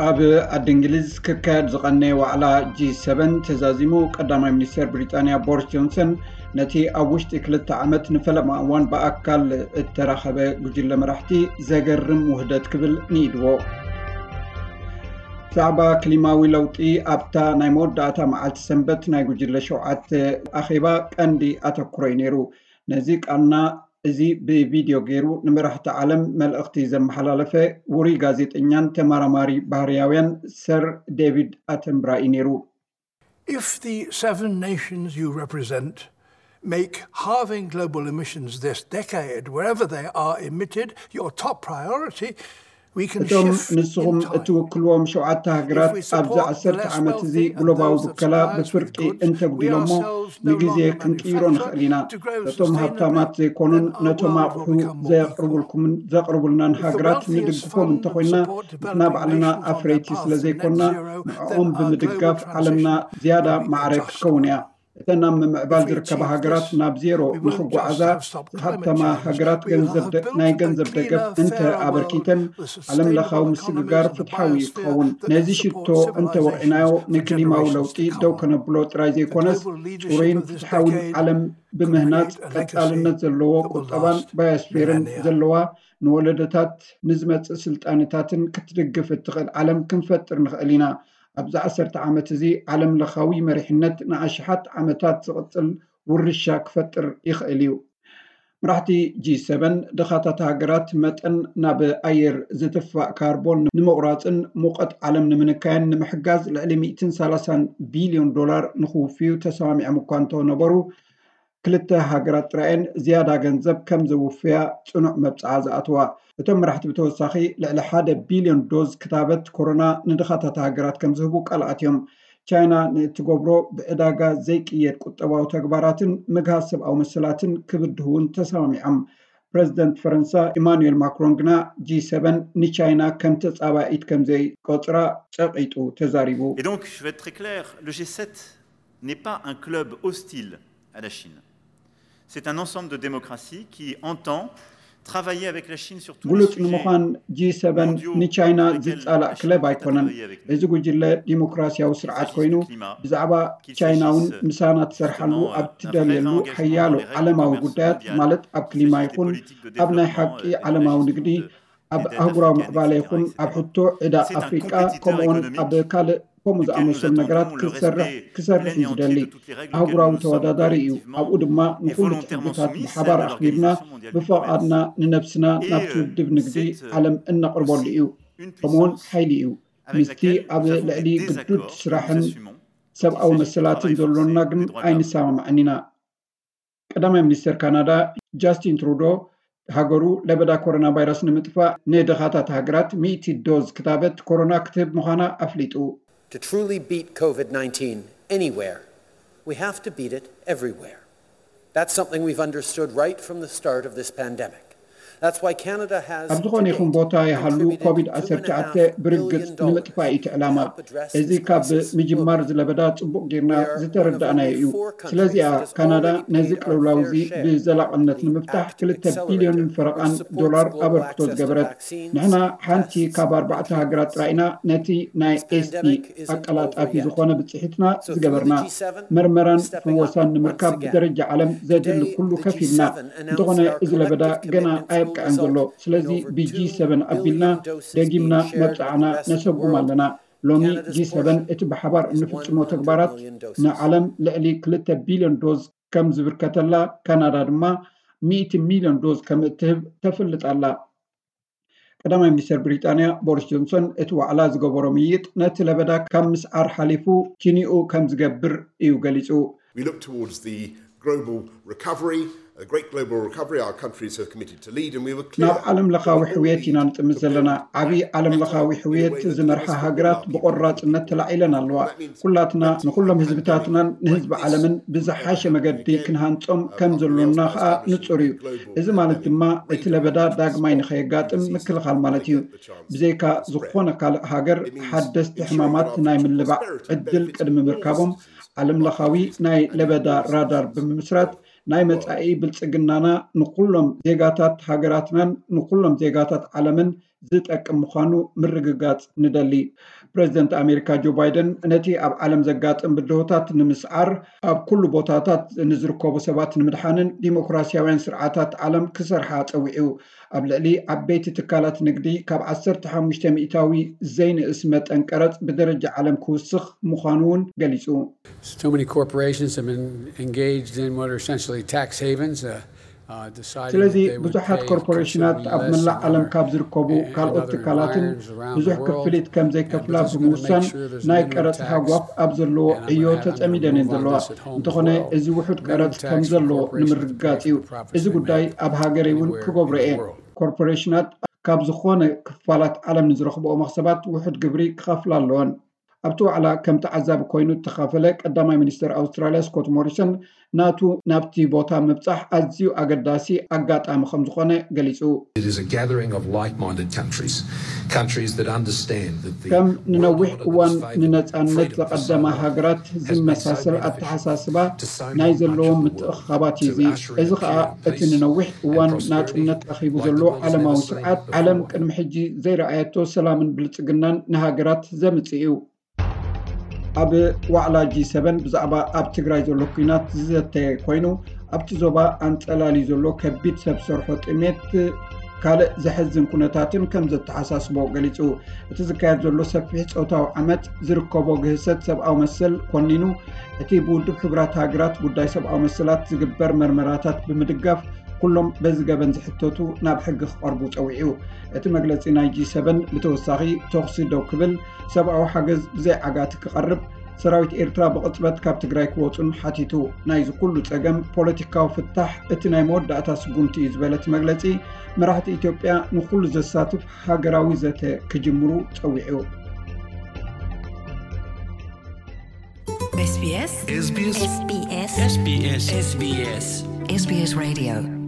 ኣብ ዓዲ እንግሊዝ ክካየድ ዝቐነየ ዋዕላ ጂ ሰቨን ተዛዚሙ። ቀዳማይ ሚኒስተር ብሪጣንያ ቦሪስ ጆንሰን ነቲ ኣብ ውሽጢ ክልተ ዓመት ንፈለማ እዋን ብኣካል እተራኸበ ጉጅለ መራሕቲ ዘገርም ውህደት ክብል ንኢድዎ። ብዛዕባ ክሊማዊ ለውጢ ኣብታ ናይ መወዳእታ መዓልቲ ሰንበት ናይ ጉጅለ ሸውዓተ ኣኼባ ቀንዲ ኣተኩሮ'ዩ ነይሩ። ነዚ ቃልና እዚ ብቪድዮ ገይሩ ንመራሕቲ ዓለም መልእኽቲ ዘመሓላለፈ ውሩይ ጋዜጠኛን ተመራማሪ ባህርያውያን ሰር ዴቪድ ኣተንብራ እዩ ነይሩ። If the seven nations you represent make halving global emissions this decade, wherever they are emitted, your top priority, we can እቶም shift ንስኹም in time. እትውክልዎም ሸውዓተ ሃገራት ኣብዚ ዓሰርተ ዓመት እዚ ግሎባዊ ብከላ ብፍርቂ እንተጉዲሎሞ ንግዜ ክንቅይሮ ንኽእል ኢና። ነቶም ሃብታማት ዘይኮኑን ነቶም ኣቑሑ ዘቕርቡልኩምን ዘቕርቡልናን ሃገራት ንድግፎም እንተኾይና ንሕና ባዕልና ኣፍረይቲ ስለ ዘይኮና ንዕኦም ብምድጋፍ ዓለምና ዝያዳ ማዕረ ክትከውን እያ። እተን ኣብ ምምዕባል ዝርከባ ሃገራት ናብ ዜሮ ንኽጓዓዛ ዝሃብተማ ሃገራት ገንዘብ ደ- ናይ ገንዘብ ደገፍ እንተ ኣበርኪተን ዓለም ለኻዊ ምስግጋር ፍትሓዊ እዩ ክኸውን። ነዚ ሽቶ እንተ ወቕዕናዮ ንክሊማዊ ለውጢ ደው ከነብሎ ጥራይ ዘይኮነስ ጽሩይን ፍትሓውን ዓለም ብምህናጽ ቀጻልነት ዘለዎ ቁጠባን ባዮስፌርን ዘለዋ ንወለዶታት ንዝመጽእ ስልጣነታትን ክትድግፍ እትኽእል ዓለም ክንፈጥር ንኽእል ኢና። ኣብዚ ዓሰርተ ዓመት እዚ ዓለም ለኻዊ መሪሕነት ንኣሽሓት ዓመታት ዝቕጽል ውርሻ ክፈጥር ይኽእል እዩ። መራሕቲ ጂ ሰቨን ድኻታት ሃገራት መጠን ናብ ኣየር ዝትፋእ ካርቦን ንምቑራጽን ሙቐት ዓለም ንምንካይን ንምሕጋዝ ልዕሊ ሚእትን ሰላሳን ቢልዮን ዶላር ንኽውፍዩ ተሰማሚዖም እኳ እንተነበሩ ክልተ ሃገራት ጥራየን ዝያዳ ገንዘብ ከም ዘውፍያ ጽኑዕ መብጽዓ ዝኣትዋ። እቶም መራሕቲ ብተወሳኺ ልዕሊ ሓደ ቢልዮን ዶዝ ክታበት ኮሮና ንድኻታት ሃገራት ከም ዝህቡ ቃል ኣትዮም። ቻይና ንእትገብሮ ብዕዳጋ ዘይቅየድ ቁጠባዊ ተግባራትን ምግሃስ ሰብኣዊ መሰላትን ክብድሁ እውን ተሰማሚዖም። ፕረዚደንት ፈረንሳ ኢማኑኤል ማክሮን ግና ጂ ሰቨን ንቻይና ከም ተጻባኢት ከም ዘይቆጽራ ጸቒጡ ተዛሪቡ። Et donc, je vais être très clair, le G sept n'est pas un club hostile à la Chine. C'est un ensemble de démocraties qui entend travailler avec la Chine sur tous les ግሉጽ sujets ንምዃን ጂ ሰቨን ንቻይና ዝጻላእ ክለብ ኣይኮነን። እዚ ጉጅለ ዲሞክራሲያዊ ስርዓት ኮይኑ ብዛዕባ ቻይና እውን ምሳና ትሰርሓሉ ኣብ ትደልየሉ ሓያሎ ዓለማዊ ጉዳያት ማለት ኣብ ክሊማ ይኹን ኣብ ናይ ሓቂ ዓለማዊ ንግዲ ኣብ ኣህጉራዊ ምዕባለ ይኹን ኣብ ሕቶ ዕዳ ኣፍሪቃ ከምኡውን ኣብ ካልእ ከምኡ ዝኣመሰሉ ነገራት ክትሰርሕ ክሰርሕ እዩ ዝደሊ። ኣህጉራዊ ተወዳዳሪ እዩ። ኣብኡ ድማ ንኹሉ እቲ ሕግታት ብሓባር ኣኽቢርና ብፈቓድና ንነብስና ናብቲ ውድብ ንግዲ ዓለም እነቕርበሉ እዩ። ከምኡውን ሓይሊ እዩ። ምስቲ ኣብ ልዕሊ ግዱድ ስራሕን ሰብኣዊ መሰላትን ዘሎና ግን ኣይንሰማማዕን ኢና። ቀዳማይ ሚኒስተር ካናዳ ጃስቲን ትሩዶ ሃገሩ ለበዳ ኮሮና ቫይረስ ንምጥፋእ ንድኻታት ሃገራት ሚእቲ ዶዝ ክታበት ኮሮና ክትህብ ምዃና ኣፍሊጡ። To truly beat COVID nineteen anywhere, we have to beat it everywhere. That's something we've understood right from the start of this pandemic. That's why Canada has ኣብ ዝኾነ ይኹን ቦታ ይሃሉ ኮቪድ ዓሰርተ ትሽዓተ ብርግጽ ንምጥፋእ እዩ እቲ ዕላማ። እዚ ካብ ምጅማር ዝለበዳ ጽቡቕ ጌርና ዝተረዳእናዮ እዩ። ስለዚኣ ካናዳ ነዚ ቅልውላው እዚ ብዘላቕነት ንምፍታሕ ክልተ ቢልዮንን ፈረቓን ዶላር ኣበርክቶ ዝገበረት። ንሕና ሓንቲ ካብ ኣርባዕተ ሃገራት ጥራይ ኢና ነቲ ናይ ኤስፒ ኣቀላጣፊ ዝኾነ ብጽሒትና ዝገበርና። መርመራን ፍወሳን ንምርካብ ብደረጃ ዓለም ዘድሊ ኩሉ ከፊልና። እንተኾነ እዚ ለበዳ ገና ኣየብቅዐን ዘሎ። ስለዚ ብጂ ሰቨን ኣቢልና ደጊምና መብጽዓና ነሰጉም ኣለና። ሎሚ ጂ ሰቨን እቲ ብሓባር እንፍጽሞ ተግባራት ንዓለም ልዕሊ ክልተ ቢልዮን ዶዝ ከም ዝብርከተላ ካናዳ ድማ ሚእቲ ሚልዮን ዶዝ ከም እትህብ ተፍልጥ ኣላ። ቀዳማይ ሚኒስተር ብሪጣንያ ቦሪስ ጆንሰን እቲ ዋዕላ ዝገበሮ ምይይጥ ነቲ ለበዳ ካብ ምስዓር ሓሊፉ ኪኒኡ ከም ዝገብር እዩ ገሊጹ። We look towards the global recovery, a great global recovery our countries have committed to lead, and we were clear. ናብ ዓለም ለኻዊ ሕውየት ኢና ንጥምት ዘለና። ዓብዪ ዓለም ለኻዊ ሕውየት ዝመርሓ ሃገራት ብቆራጽነት ተላዒለን ኣለዋ። ኩላትና ንኹሎም ህዝብታትናን ንህዝቢ ዓለምን ብዝሓሸ መገዲ ክንሃንጾም ከም ዘሎና ከኣ ንጹር እዩ። እዚ ማለት ድማ እቲ ለበዳ ዳግማይ ንኸየጋጥም ምክልኻል ማለት እዩ። ብዘይካ ዝኾነ ካልእ ሃገር ሓደስቲ ሕማማት ናይ ምልባዕ ዕድል ቅድሚ ምርካቦም ዓለም ለኻዊ ናይ ለበዳ ራዳር ብምምስራት ናይ መጻኢ ብልጽግናና ንኹሎም ዜጋታት ሃገራትናን ንኹሎም ዜጋታት ዓለምን ዝጠቅም ምዃኑ ምርግጋጽ ንደሊ። ፕሬዚደንት ኣሜሪካ ጆ ባይደን ነቲ ኣብ ዓለም ዘጋጥም ብድሆታት ንምስዓር፣ ኣብ ኩሉ ቦታታት ንዝርከቡ ሰባት ንምድሓንን ዲሞክራሲያውያን ስርዓታት ዓለም ክሰርሓ ጸዊዑ። ኣብ ልዕሊ ዓበይቲ ትካላት ንግዲ ካብ ዓሰርተ ሓሙሽተ ሚእታዊ ዘይንእስ መጠን ቀረጽ ብደረጃ ዓለም ክውስኽ ምዃኑ እውን ገሊጹ። So many corporations have been engaged in what are essentially tax havens. Uh, uh, deciding ስለዚ that they would ብዙሓት pay ኮርፖሬሽናት considerably ኣብ less መላእ than ዓለም other ካብ ዝርከቡ and ካልኦት other ትካላትን environments around ብዙሕ the world. ክፍሊት ከም And ዘይከፍላ this is gonna make ብምውሳን sure there's a ናይ minimum ቀረጽ tax. ሃጓፍ ኣብ ዘለዎ And I'm ዕዮ gonna have, I'm gonna ተጸሚደን እየን move on ዘለዋ። this at home እንተኾነ as well. እዚ ውሑድ Minimum ቀረጽ ከም tax on ዘሎ corporations ንምርግጋጽ pays እዩ። for profits እዚ they ጉዳይ make ኣብ ሃገረይ እውን anywhere ክገብሮ in the እየ። world. ኮርፖሬሽናት ካብ ዝኾነ ክፋላት ዓለም ንዝረኽብኦ መኽሰባት ውሑድ ግብሪ ክኸፍላ ኣለወን። ኣብቲ ዋዕላ ከም ተዓዛቢ ኮይኑ እተኻፈለ ቀዳማይ ሚኒስትር ኣውስትራልያ ስኮት ሞሪሰን ናቱ ናብቲ ቦታ ምብጻሕ ኣዝዩ ኣገዳሲ ኣጋጣሚ ከም ዝኾነ ገሊጹ። It is a gathering of like-minded countries, countries that understand that the ከም world ንነዊሕ order that እዋን has favoured ንነጻነት freedom for so ዘቐደማ long ሃገራት has been so ዝመሳሰል beneficial ኣተሓሳስባ to so ናይ much of ዘለዎም the world, ምትእኽኻባት እዩ። to እዚ ushering a እዚ ኸኣ period of እቲ peace ንነዊሕ and እዋን prosperity ናጽነት ረኺቡ like the ዘሎ world has ዓለማዊ never seen ስርዓት ዓለም before. ቅድሚ ሕጂ ዘይረኣየቶ ሰላምን ብልጽግናን ንሃገራት ዘምጽእ እዩ። ኣብ ዋዕላ ጂ ሰቨን ብዛዕባ ኣብ ትግራይ ዘሎ ኲናት ዝዘተየ ኮይኑ፣ ኣብቲ ዞባ ኣንጸላልዩ ዘሎ ከቢድ ሰብ ሰርሖ ጥሜት ካልእ ዘሕዝን ኩነታትን ከም ዘተሓሳስቦ ገሊጹ። እቲ ዝካየድ ዘሎ ሰፊሕ ጾታዊ ዓመጽ ዝርከቦ ግህሰት ሰብኣዊ መሰል ኮኒኑ፣ እቲ ብውድብ ሕቡራት ሃገራት ጉዳይ ሰብኣዊ መሰላት ዝግበር መርመራታት ብምድጋፍ ኩሎም በዚ ገበን ዝሕተቱ ናብ ሕጊ ክቐርቡ ጸዊዑ። እቲ መግለጺ ናይ ጂ ሰቨን ብተወሳኺ ተኹሲ ደው ክብል፣ ሰብኣዊ ሓገዝ ብዘይ ዓጋቲ ክቐርብ፣ ሰራዊት ኤርትራ ብቕጽበት ካብ ትግራይ ክወጹን ሓቲቱ። ናይዚ ኩሉ ጸገም ፖለቲካዊ ፍታሕ እቲ ናይ መወዳእታ ስጉምቲ እዩ ዝበለ እቲ መግለጺ፣ መራሕቲ ኢትዮጵያ ንኹሉ ዘሳትፍ ሃገራዊ ዘተ ክጅምሩ ጸዊዑ። SBS SBS SBS SBS SBS SBS Radio